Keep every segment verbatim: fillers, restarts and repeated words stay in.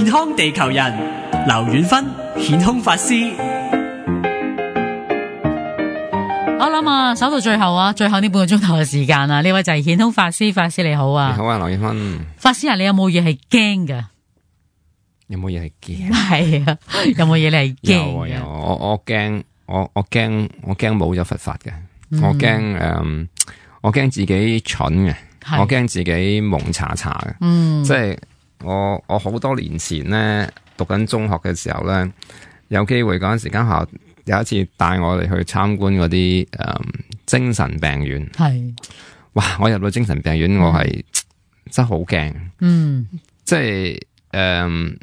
健康地球人劉遠芬顯空法師。我諗啊，守到最後啊，最後呢半個鐘頭嘅時間啊，呢位就係顯空法師，法師你好啊。你好啊，劉遠芬。法師啊，你有冇嘢係驚㗎？有冇嘢係驚？係啊，有冇嘢你係驚？有啊有，我我驚，我我驚，我驚冇咗佛法嘅，嗯、我驚誒、嗯，我驚自己蠢嘅，我驚自己蒙查查嘅，嗯，即係我我好多年前咧讀緊中學嘅時候咧，有機會嗰陣時間學校有一次帶我哋去參觀嗰啲誒精神病院，係，哇！我入到精神病院，我係、嗯、真係好驚，嗯，即係誒。嗯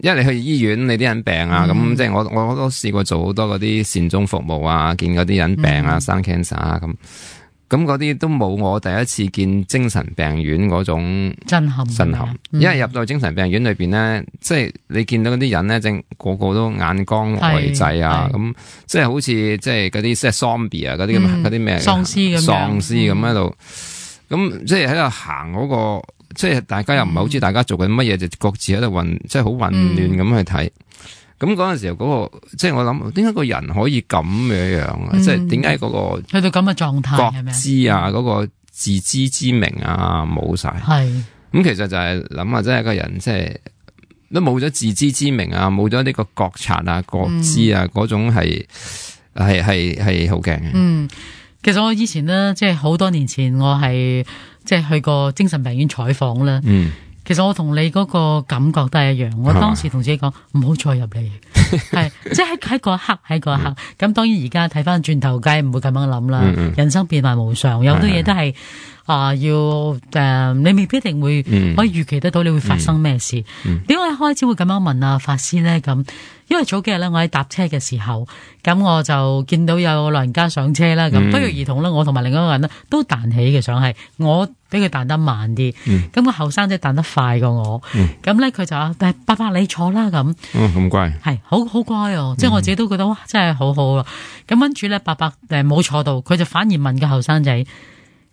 因為你去醫院，你啲人病啊，咁、嗯、即係我我都試過做好多嗰啲善終服務啊，見嗰啲人病啊，嗯、生 cancer 啊，咁咁嗰啲都冇我第一次見精神病院嗰種震撼震撼。因為入到精神病院裏邊咧，即係你見到嗰啲人咧，正個個都眼光呆滯啊，咁即係好似即係嗰啲即係 zombie 啊，嗰啲咁嗰啲咩喪屍咁喪屍咁喺度，咁即係喺度行嗰個。即係大家又唔係好知大家做緊乜嘢，就各自喺度混，即係好混亂咁去睇。咁嗰陣時候嗰、嗰個，即係我諗，點解個人可以咁樣樣啊？嗯、即係點解嗰個去到咁嘅狀態，覺知啊，嗰、嗰個自知之明啊，冇晒。係咁，其實就係諗下，即係一個人，即係都冇咗自知之明啊，冇咗呢個覺察啊、覺知啊，嗰、嗯、種係係係係好驚嘅。嗯，其實我以前咧，即係好多年前，我係。即係去過精神病院採訪啦，嗯、其實我同你嗰個感覺都係一樣。我當時同自己講唔好再入嚟，係即係喺嗰一刻，喺嗰一刻。咁、嗯、當然而家睇翻轉頭，梗係唔會咁樣諗啦。嗯、人生變幻無常，有好多嘢都係啊、呃，要誒、呃，你未必一定會可以預期得到你會發生咩事。點解、嗯嗯、開始會咁樣問啊法師咧？咁因為早幾日咧，我喺搭車嘅時候，咁我就見到有老人家上車啦。咁、嗯、不約而同啦，我同埋另一個人咧都彈起嘅，想係我俾佢彈得慢啲。咁個後生仔彈得快過我。咁咧佢就話：誒，伯伯你坐啦咁。嗯，咁乖。係，好好乖哦。即係我自己都覺得哇，真係好好啊。咁跟住咧，伯伯誒冇坐到，佢就反而問個後生仔：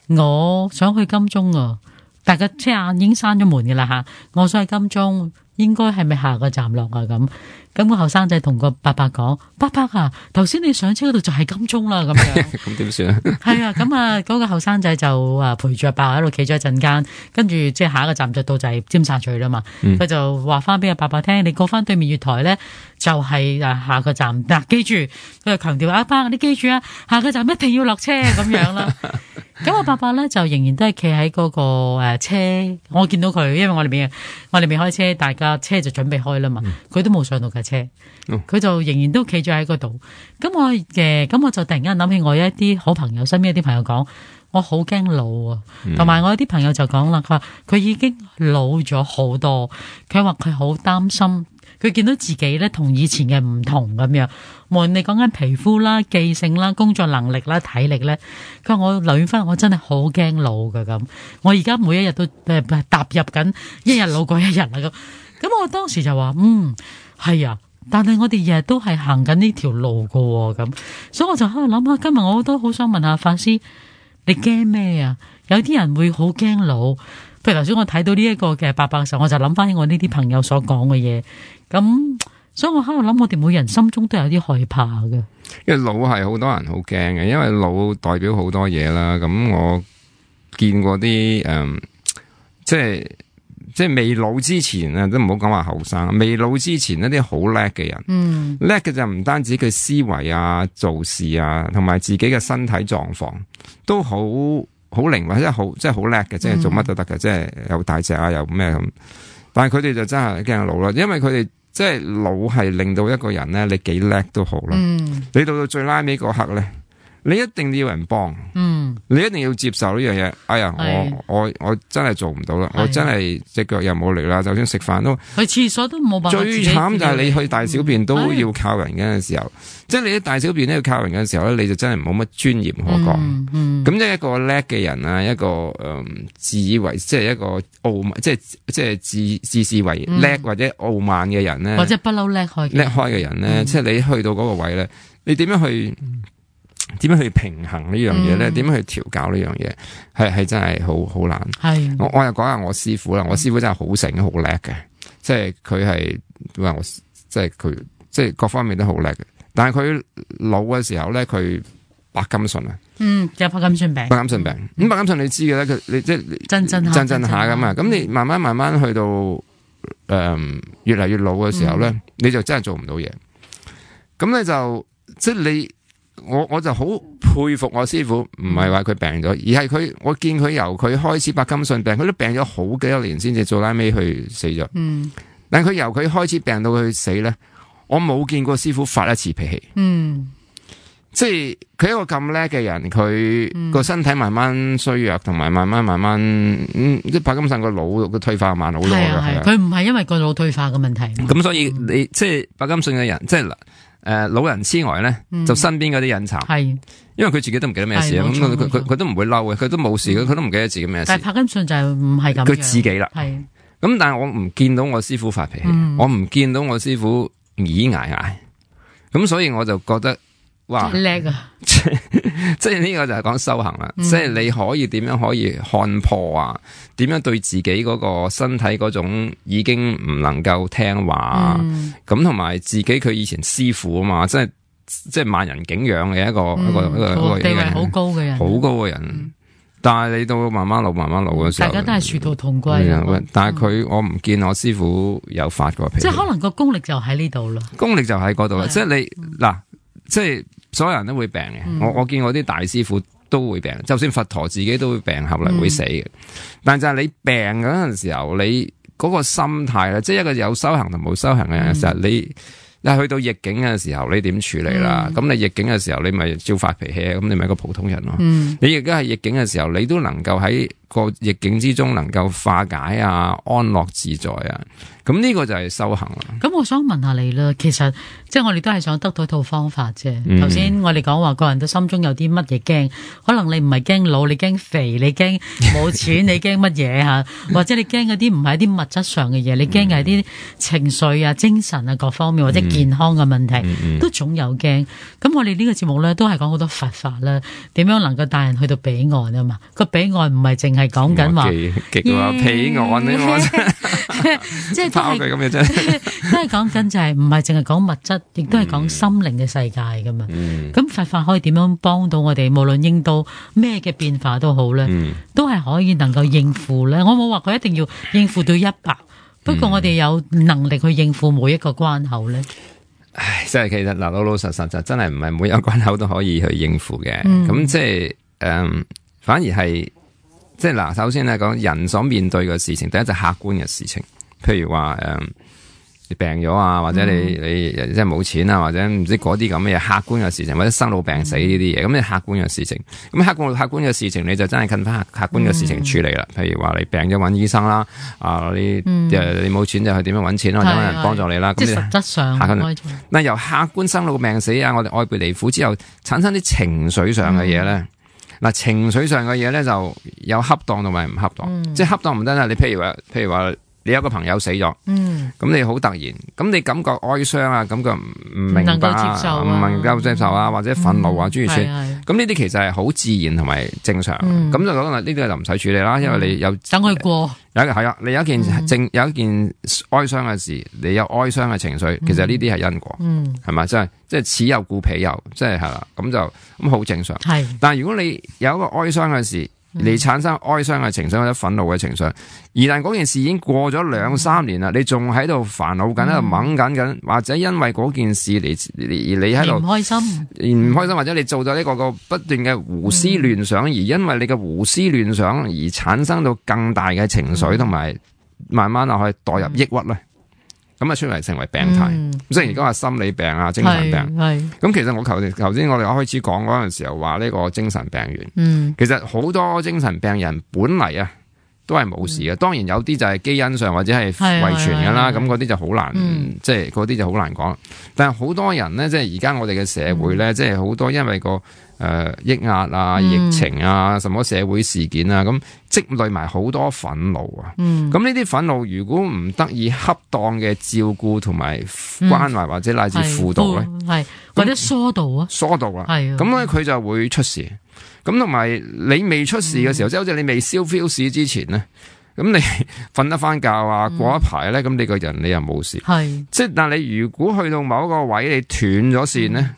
我想去金鐘啊！大家車眼已經閂咗門嘅啦吓，我想去金鐘。應該係咪下個站落啊？咁咁個後生仔同個伯伯講：伯伯啊，頭先你上車嗰度就係金鐘啦。咁樣咁點算啊？係啊，咁啊嗰個後生仔就啊陪住阿伯喺度企咗一陣間，跟住即係下一個站就到就係尖沙咀啦嘛。佢、嗯、就話翻俾阿伯伯聽：你過翻對面月台咧，就係啊下個站。嗱、啊，記住，佢就強調：阿伯，你記住啊，下個站一定要落車咁樣啦。咁阿伯伯咧就仍然都係企喺嗰個誒車，我見到佢，因為我哋未我哋未開車，大家車就準備開啦嘛，佢、嗯、都冇上到架車，佢、嗯、就仍然都企咗喺嗰度。咁我嘅咁我就突然間諗起我一啲好朋友身邊一啲朋友講，我好驚老啊，同埋、嗯、我有啲朋友就講啦，佢話佢已經老咗好多，佢話佢好擔心。佢見到自己咧同以前嘅唔同咁樣，無論你講緊皮膚啦、記性啦、工作能力啦、體力咧，佢話我劉遠芬，我真係好驚老噶咁。我而家每一日都誒踏入緊一日老過一日啦咁。咁我當時就話嗯係啊，但係我哋日日都係行緊呢條路噶咁，所以我就喺度諗下，今日我都好想問下法師，你驚咩啊？有啲人會好驚老。譬如頭先我睇到呢一個嘅伯伯嘅時候，我就諗翻起我呢啲朋友所講嘅嘢，咁所以我喺度諗，我哋每人心中都有啲害怕嘅。因為老係好多人好驚嘅，因為老代表好多嘢啦。咁我見過啲誒、嗯，即係即係未老之前啊，都唔好講話後生。未老之前一啲好叻嘅人，嗯，叻嘅就唔單止佢思維啊、做事啊，同埋自己嘅身體狀況都好。好靈活，即係好，即係好叻嘅，即係做乜都得嘅，嗯、即係又大隻啊，又咩咁。但係佢哋就真係驚老啦，因為佢哋即係老係令到一個人咧，你幾叻都好啦。嗯、你到到最拉尾嗰刻咧，你一定要有人幫，嗯，你一定要接受呢樣嘢。哎呀，是我我我真係做唔到啦，是我真係隻腳又冇力啦，就算食飯都去廁所都冇辦法。最慘就係你去大小便都要靠人嘅時候，嗯、即係你啲大小便都要靠人嘅時候咧，你就真係冇乜尊嚴可講。咁、嗯嗯、即係一個叻嘅人啊，一個誒、嗯、自以為即係一個傲慢，即係即係自自視為叻、嗯、或者傲慢嘅人咧，或者不嬲叻開叻開嘅人咧，嗯、即係你去到嗰個位咧，你點樣去？點樣去平衡呢樣嘢咧？點樣、嗯、去調教呢樣嘢？係係真係好好難。係我我又講下我師傅啦，我師傅真係好醒好叻嘅。即係佢係話我即係佢即係各方面都好叻嘅，但係佢老嘅時候咧，佢白金遜啊，嗯，有白金遜病，白金遜病，咁、嗯、白金遜你知嘅咧，佢你即係震震下震震下咁啊，咁你慢慢慢慢去到誒、呃、越嚟越老嘅時候咧，嗯、你就真係做唔到嘢，咁你就即係你。我我就好佩服我師傅，唔係話佢病咗，而係佢我見佢由佢開始白金遜病，佢都病咗好幾多年先至做拉尾去死咗。嗯，但佢由佢開始病到佢死咧，我冇見過師傅發一次脾氣。嗯，即係佢一個咁叻嘅人，佢個身體慢慢衰弱，同埋慢慢慢慢，嗯，即係白金遜個腦個退化慢好多嘅。係佢唔係因為個腦退化嘅問題。咁所以你即係白金遜嘅人，即係。誒、呃，老人痴呆咧，嗯、就身邊嗰啲人慘，係，因為佢自己都唔記得咩事，咁佢佢佢都唔會嬲嘅，佢都冇事嘅，佢都唔記得自己咩事。但係柏金遜就係唔係咁，佢自己啦，係。咁但係我唔見到我師傅發脾氣，嗯、我唔見到我師傅倚挨挨，咁所以我就覺得。哇！叻啊！即係呢個就係講修行啦，嗯、即係你可以點樣可以看破啊？點樣對自己嗰個身體嗰種已經唔能夠聽話，咁同埋自己佢以前師傅啊嘛，即係即係萬人景仰嘅一個、嗯、一個一個一個地位好高嘅人，好高嘅人。嗯、但係你到慢慢老慢慢老嘅時候，大家都係殊途同歸。嗯、但係佢我唔見我師傅有發過脾氣，即係可能個功力就喺呢度咯。功力就喺嗰度啦，即係你嗱，即係。所有人都會病嘅，嗯、我我見我啲大師傅都會病，就算佛陀自己都會病，後嚟會死嘅。嗯、但係就係你病嗰陣時候，你嗰個心態咧，即係一個有修行同冇修行嘅人嘅時候，嗯、你你去到逆境嘅時候，你點處理啦？咁、嗯、你逆境嘅時候，你咪照發脾氣，咁你咪一個普通人咯。嗯、你而家係逆境嘅時候，你都能夠喺個逆境之中能夠化解啊，安樂自在啊。咁呢個就係修行啦。咁我想問下你啦，其實即係我哋都係想得到一套方法啫。頭先、嗯、我哋講話個人都心中有啲乜嘢驚，可能你唔係驚老，你驚肥，你驚冇錢，你驚乜嘢吓？或者你驚嗰啲唔係一啲物質上嘅嘢，你驚係啲情緒啊、精神啊各方面或者健康嘅問題，嗯、都總有驚。咁我哋呢個節目咧都係講好多佛法啦，點樣能夠帶人去到彼岸啊嘛？個彼岸唔係淨係講緊話極話彼岸呢個，即係。都係咁嘅啫，都係講緊就係唔係淨係講物質，亦都係講心靈嘅世界噶嘛。咁、嗯、佛法可以點樣幫到我哋？無論應到咩嘅變化都好咧，嗯、都係可以能夠應付咧。我冇話佢一定要應付到一百，不過我哋有能力去應付每一個關口咧。唉，即係其實嗱，老老實實就真係唔係每一個關口都可以去應付嘅。咁、嗯、即係誒、嗯，反而係即係嗱，首先咧講人所面對嘅事情，第一就客觀嘅事情。譬如話誒、嗯，你病咗啊，或者你你即係冇錢啊，或者唔知嗰啲咁嘅嘢，客觀嘅事情，或者生老病死呢啲嘢，咁你客觀嘅事情，咁客觀客觀嘅事情，你就真係近翻客觀嘅事情處理啦。嗯、譬如話你病咗揾醫生啦，啊你誒、嗯、你冇錢就去點樣揾錢啦，或者揾人幫助你啦。咁、嗯、你實質上嗱由客觀生老病死啊，我哋愛別離苦之後產生啲情緒上嘅嘢咧。嗱、嗯、情緒上嘅嘢咧就有恰當同埋唔恰當，嗯、即係恰當唔得啦。你譬如話，譬如話。你有個朋友死咗，咁、嗯、你好突然，咁你感覺哀傷啊，感覺唔唔明白啊，唔能夠接受啊，或者憤怒啊，諸如此類，咁呢啲其實係好自然同埋正常，咁、嗯、就講啦，呢啲就唔使處理啦，因為你有等佢過，有係啊，你有一件正、嗯、有一件哀傷嘅事，你有哀傷嘅情緒，其實呢啲係因果，係咪、嗯？即係即係此有故彼有，即係係啦，咁就咁好正常。係是，但係如果你有一個哀傷嘅事，你產生哀傷嘅情緒或者憤怒嘅情緒，而但嗰件事已經過咗兩三年啦，你仲喺度煩惱緊，喺度掹緊緊，或者因為嗰件事嚟而你喺度唔開心，唔開心，或者你做咗呢個個不斷嘅胡思亂想，而因為你嘅胡思亂想而產生到更大嘅情緒，同埋慢慢啊去墮入抑鬱咧。咁啊，出嚟成為病態。嗯、即係而家話心理病啊、精神病。咁其實我頭頭先我哋開始講嗰陣時候話呢個精神病源。嗯、其實好多精神病人本嚟啊都係冇事嘅。嗯、當然有啲就係基因上或者係遺傳㗎啦。咁嗰啲就好難，嗯、即係嗰啲就好難講。但係好多人咧，即係而家我哋嘅社會咧，嗯、即係好多因為個。誒、呃，抑壓啊，疫情啊，什麼社會事件啊，咁積累埋好多憤怒啊。嗯，咁呢啲憤怒如果唔得以恰當嘅照顧同埋關懷，嗯、或者乃至輔導咧，係或者疏導啊，疏導啊，係咁咧，佢就會出事。咁同埋你未出事嘅時候，即係好似你未燒 feel 市之前咧，咁你瞓得翻覺啊，過一排咧，咁你個人你又冇事。係，即係但係你如果去到某一個位你斷咗線咧，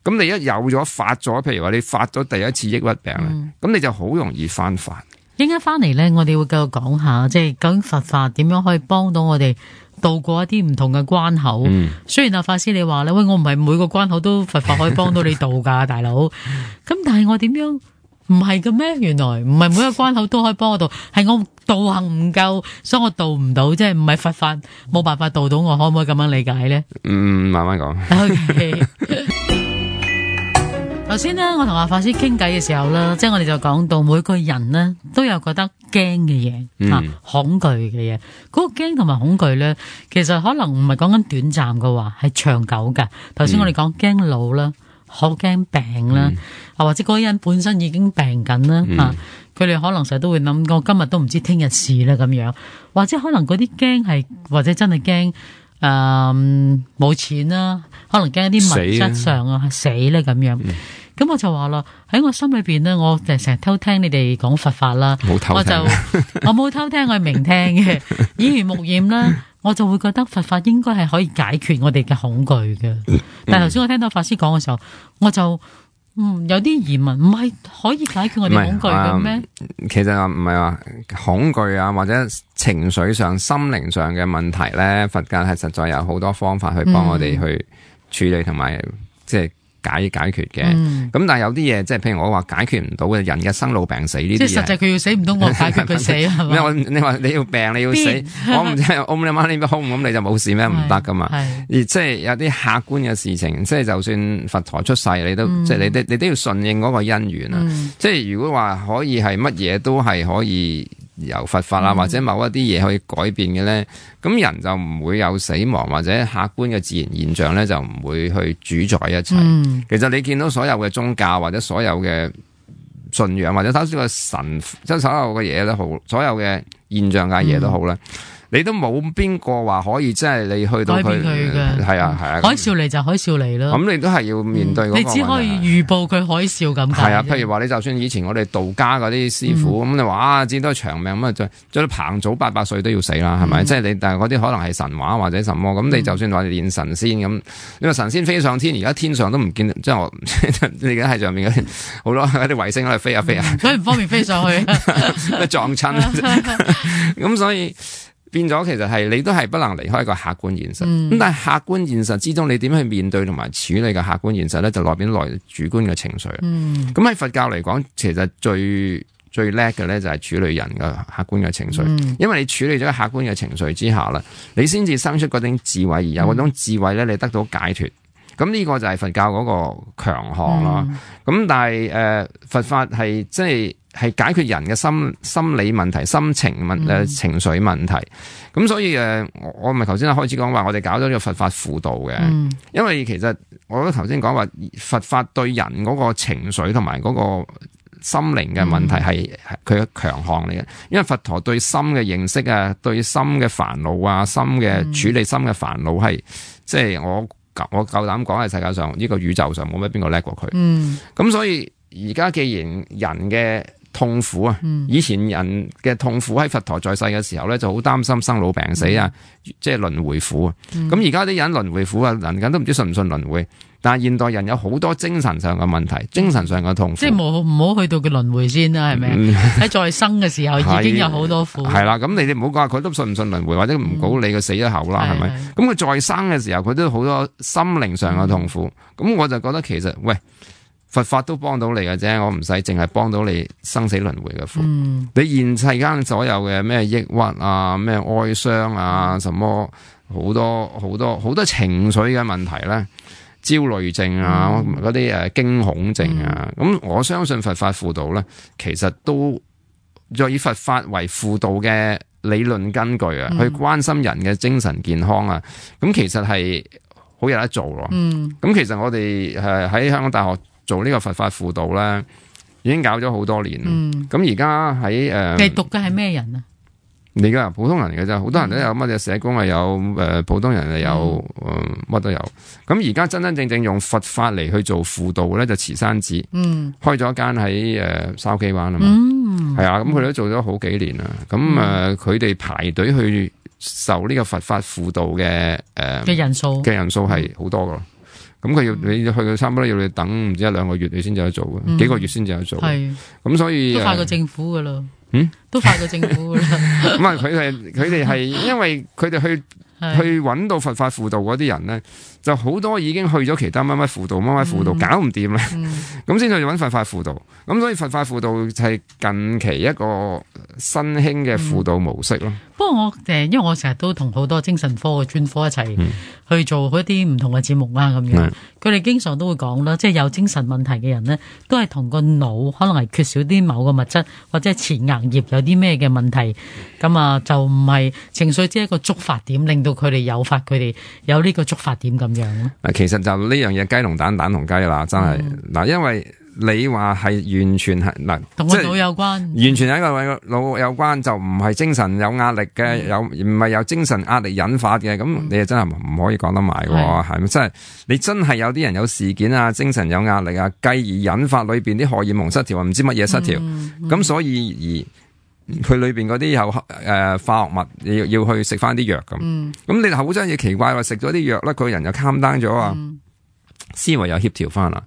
咁、嗯、你一有咗發咗，譬如話你發咗第一次抑鬱病咧，咁、嗯、你就好容易翻發。應該翻嚟咧，我哋會繼續講下，即係究竟佛法點樣可以幫到我哋渡過一啲唔同嘅關口。嗯、雖然阿法師你話咧，喂，我唔係每個關口都佛法可以幫到你渡噶，大佬。咁但係我點樣唔係嘅咩？原來唔係每個關口都可以幫我渡，係我道行唔夠，所以我渡唔到，即係唔係佛法冇辦法渡到我，可唔可以咁樣理解咧？嗯，慢慢講。Okay 頭先咧，我同阿法師傾偈嘅時候啦，即係我哋就講到每個人呢都有覺得驚嘅嘢，吓、嗯、恐懼嘅嘢。嗰、嗰個驚同埋恐懼咧，其實可能唔係講緊短暫嘅話，係長久噶。頭先我哋講驚老啦，好驚病啦，啊、嗯、或者嗰個人本身已經病緊啦，吓佢哋可能成日都會諗，我今日都唔知聽日事啦咁樣，或者可能嗰啲驚係或者真係驚。誒，冇、嗯、錢啦，可能驚一啲物質上啊死咧咁樣。咁、嗯、我就話啦，喺我心裏邊咧，我就成日偷聽你哋講佛法啦，冇偷聽，我就我冇偷聽，我係明聽嘅，耳濡目染啦，我就會覺得佛法應該係可以解決我哋嘅恐懼嘅。嗯、但係頭先我聽到法師講嘅時候，我就嗯有啲疑問，唔係可以解決我哋恐懼嘅咩、嗯？其實唔係話恐懼啊，或者情緒上、心靈上嘅問題咧，佛教係實在有好多方法去幫我哋去處理同埋即係解解決嘅。咁、嗯、但係有啲嘢，即係譬如我話解決唔到嘅人嘅生老病死呢啲嘢，即係實際佢要死唔到，我解決佢死係嘛？你話你要病你要死，我唔知我你媽你空咁你就冇事咩？唔得噶嘛。而即係有啲客觀嘅事情，即係就算佛陀出世，你都、嗯、即係你都你都要順應嗰個因緣啊。嗯、即係如果話可以係乜嘢都係可以由佛法啊，嗯、或者某一啲嘢可以改變嘅咧，咁人就唔會有死亡或者客觀嘅自然現象咧，就唔會去主宰一切。嗯、其實你見到所有嘅宗教或者所有嘅信仰或者睇少個神，即係所有嘅嘢都好，所有嘅現象嘅嘢都好咧。嗯你都冇邊個話可以，即係你去到佢，係啊係啊，海嘯嚟就海嘯嚟咯。咁你都係要面對嗰個問題。你只可以預報佢海嘯咁解。係啊，譬如話你就算以前我哋道家嗰啲師傅，咁你話啊，至多長命咁啊，再再彭祖八百歲都要死啦，係咪？即係你，但係嗰啲可能係神話或者什麼，咁你就算話練神仙咁，你話神仙飛上天，而家天上都唔見，即係我你而家喺上面嗰啲好多嗰啲衛星喺度飛下飛下，所以唔方便飛上去，撞親。咁所以。變咗，其實係你都係不能離開一個客觀現實。咁、嗯、但係客觀現實之中，你點去面對同埋處理嘅客觀現實咧，就內邊來主觀嘅情緒。咁喺、嗯、佛教嚟講，其實最最叻嘅咧就係處理人嘅客觀嘅情緒。嗯、因為你處理咗客觀嘅情緒之下啦，你先至生出嗰種智慧，而有嗰種智慧咧，你得到解脫。咁呢個就係佛教嗰個強項啦。咁、嗯、但係誒、呃，佛法係即係。係解決人嘅心心理問題、心情問誒、嗯、情緒問題，咁所以誒，我咪頭先開始講話，我哋搞咗呢個佛法輔導嘅，嗯、因為其實我都頭先講話佛法對人嗰個情緒同埋嗰個心靈嘅問題係佢嘅強項嚟嘅，因為佛陀對心嘅認識啊，對心嘅煩惱啊，心嘅處理心嘅煩惱係，即係我我夠膽講喺世界上呢、這個宇宙上冇乜邊個叻過佢，咁、嗯、所以而家既然人嘅痛苦啊！以前人嘅痛苦喺佛陀在世嘅時候咧，就好擔心生老病死啊，嗯、即係輪迴苦啊。咁而家啲人輪迴苦啊，人緊都唔知信唔信輪迴。但係現代人有好多精神上嘅問題，精神上嘅痛苦。即係冇唔好去到佢輪迴先啦，係咪？喺在生嘅時候已經有好多苦。係啦，咁你哋唔好講佢都信唔信輪迴，或者唔好理佢死咗後啦，係咪？咁佢在生嘅時候，佢都好多心靈上嘅痛苦。咁、嗯、我就覺得其實喂。佛法都幫到你嘅啫，我唔使淨係幫到你生死輪迴嘅苦。嗯、你現世間所有嘅咩抑鬱啊、咩哀傷啊、什麼好多好多好多情緒嘅問題咧，焦慮症啊、嗰啲誒驚恐症啊，咁、嗯、我相信佛法輔導咧，其實都再以佛法為輔導嘅理論根據啊，嗯、去關心人嘅精神健康啊，咁其實係好有得做咯。咁、嗯、其實我哋誒喺香港大學做呢個佛法輔導咧，已經搞咗好多年。咁而家喺誒，你讀嘅係咩人啊？你噶普通人嚟嘅啫，好多人都有乜嘢社工啊，有誒、呃、普通人啊，有誒乜都有。咁而家真真正正用佛法嚟去做輔導咧，就慈山寺，嗯，開咗一間喺誒筲箕灣啊嘛，係、嗯、啊，咁佢哋都做咗好幾年啦。咁誒，佢哋、呃、排隊去受呢個佛法輔導嘅誒嘅人數嘅人數係好多噶。咁佢要你去到差唔多要你等唔知一兩個月你先至有得做嘅，嗯、幾個月先至有得做。係咁所以都快過政府噶啦。嗯，都快過政府啦。咁啊，佢係佢哋係因為佢哋去去揾到佛法輔導嗰啲人咧，就好多已經去咗其他乜乜輔導乜乜輔導搞唔掂啦，咁先去揾佛法輔導。咁所以佛法輔導係近期一個新興嘅輔導模式咯。不過我誒，因為我成日都同好多精神科嘅專科一齊去做一啲唔同嘅節目啦，咁樣佢哋經常都會講啦，即係有精神問題嘅人咧，都係同個腦可能係缺少啲某個物質，或者係前額葉有啲咩嘅問題，咁啊就唔係情緒只係一個觸發點，令到佢哋誘發佢哋有呢個觸發點咁樣咯。啊，其實就呢樣嘢雞同蛋，蛋同雞啦，真係嗱、嗯，因為你話係完全係嗱，同個腦有關，完全係一個腦有關，就唔係精神有壓力嘅，嗯、有唔係有精神壓力引發嘅，咁、嗯、你真係唔可以講得埋喎，係咪？真係你真係有啲人有事件啊，精神有壓力啊，繼而引發裏邊啲荷爾蒙失調啊，唔知乜嘢失調，咁、嗯嗯、所以而佢裏邊嗰啲有誒、呃、化學物要要去食翻啲藥咁，咁、嗯、你好真係奇怪話食咗啲藥咧，佢人又 calm down 咗啊，嗯、思維又協調翻啦，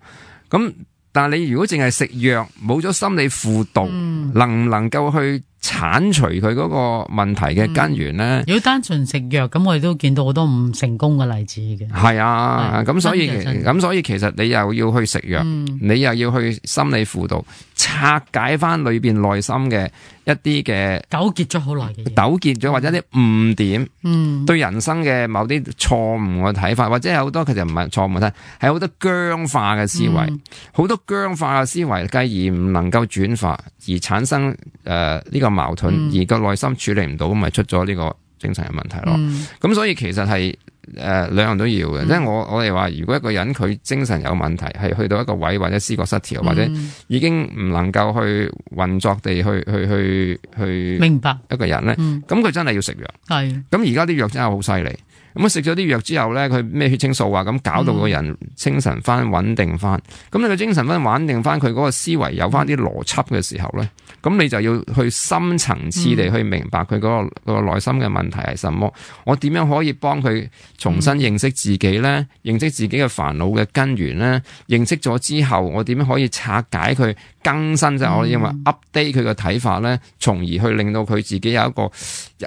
咁。但係你如果淨係食藥，冇咗心理輔導，嗯、能唔能夠去鏟除佢嗰個問題嘅根源咧、嗯？如果單純食藥，咁我哋都見到好多唔成功嘅例子嘅。係啊，咁所以咁所以其實你又要去食藥，嗯、你又要去心理輔導，拆解翻裏邊內心嘅一啲嘅糾結咗好耐嘅嘢，糾結咗或者啲誤點，嗯，對人生嘅某啲錯誤嘅睇法，或者有好多其實唔係錯誤睇，係好多僵化嘅思維，好、嗯、多僵化嘅思維，繼而唔能夠轉化，而產生誒呢、呃這個矛盾，嗯、而個內心處理唔到，咁咪出咗呢個精神嘅問題咯。咁、嗯、所以其實係。誒、呃，兩樣都要嘅，即係、嗯、我我哋話，如果一個人佢精神有問題，係去到一個位或者思覺失調，嗯、或者已經唔能夠去運作地去去去去明白一個人咧，咁佢、嗯、真係要食藥。係，咁而家啲藥真係好犀利。咁啊食咗啲藥之後咧，佢咩血清素啊，咁搞到個人精神翻穩定翻。咁、嗯、你個精神翻穩定翻，佢嗰個思維有翻啲邏輯嘅時候咧，咁你就要去深層次地去明白佢嗰、嗰個、嗯、個內心嘅問題係什麼。我點樣可以幫佢重新認識自己咧？嗯、認識自己嘅煩惱嘅根源咧？認識咗之後，我點樣可以拆解佢、更新即係、嗯、我認為 update 佢嘅睇法咧，從而去令到佢自己有一個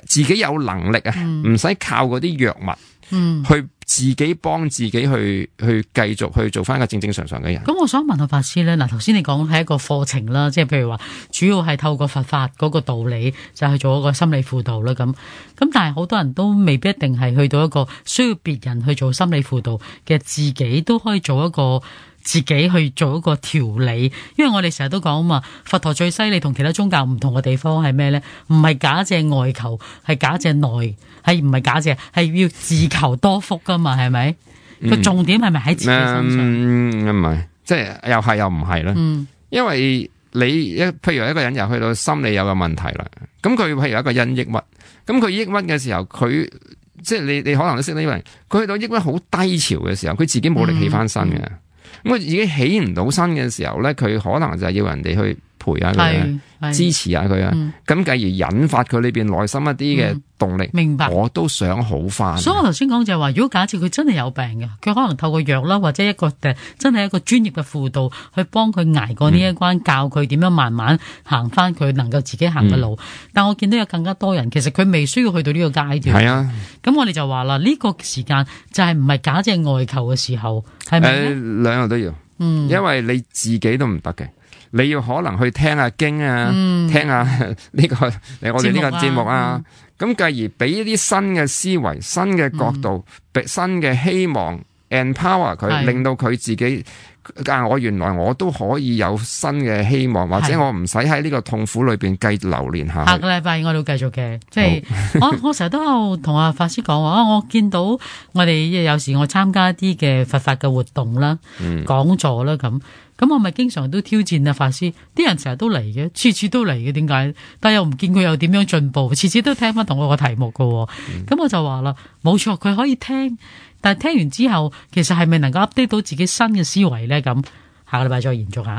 自己有能力啊，唔使、嗯、靠嗰啲藥物。嗯，去自己幫自己去去繼續去做翻一個正正常常嘅人。咁我想問下法師咧，嗱頭先你講係一個課程啦，即係譬如話主要係透過佛法嗰個道理就去做一個心理輔導啦，咁咁但係好多人都未必一定係去到一個需要別人去做心理輔導嘅，自己都可以做一個自己去做一個調理。因為我哋成日都講啊嘛，佛陀最犀利同其他宗教唔同嘅地方係咩咧？唔係假借外求，係假借內。係唔係假借？係要自求多福噶嘛？係咪？個、嗯、重點係咪喺自己身上？唔係、嗯，即係又係又唔係啦。嗯，因為你一譬如一個人又去到心理有個問題啦，咁佢譬如一個人抑鬱，咁佢抑鬱嘅時候，佢即係你你可能都識得呢個人，佢去到抑鬱好低潮嘅時候，佢自己冇力起翻身嘅，咁佢自己起唔到身嘅時候咧，佢可能就係要人哋去陪下佢，支持下佢啊，咁繼、嗯、而引發佢裏邊內心一啲嘅動力、嗯。明白，我都想好翻。所以我頭先講就係話，如果假設佢真係有病嘅，佢可能透過藥啦，或者一個誒真係一個專業嘅輔導，去幫佢捱過呢一關，嗯、教佢點樣慢慢行翻佢能夠自己行嘅路。嗯、但我見到有更加多人，其實佢未需要去到呢個階段。係啊，咁我哋就話啦，呢、呢個時間就係唔係假借外求嘅時候，係咪咧？誒，兩樣都要，嗯，因為你自己都唔得嘅。你要可能去聽下經啊，嗯、聽下呢、這個我哋呢個節目啊，咁繼、嗯、而俾一啲新嘅思維、新嘅角度、嗯、新嘅希望 empower 佢，令到佢自己啊，我原來我都可以有新嘅希望，或者我唔使喺呢個痛苦裏邊繼續流連下去。下個禮拜我都繼續嘅，即係好我我成日都有同阿法師講話，我見到我哋有時我參加一啲嘅佛法嘅活動啦、嗯、講座啦咁。咁我咪經常都挑戰啊法師，啲人成日都嚟嘅，次次都嚟嘅，點解？但係又唔見佢有點樣進步，次次都聽翻同我個題目㗎喎。咁、嗯、我就話啦，冇錯，佢可以聽，但係聽完之後，其實係咪能夠 update 到自己新嘅思維咧？咁下個禮拜再延續下。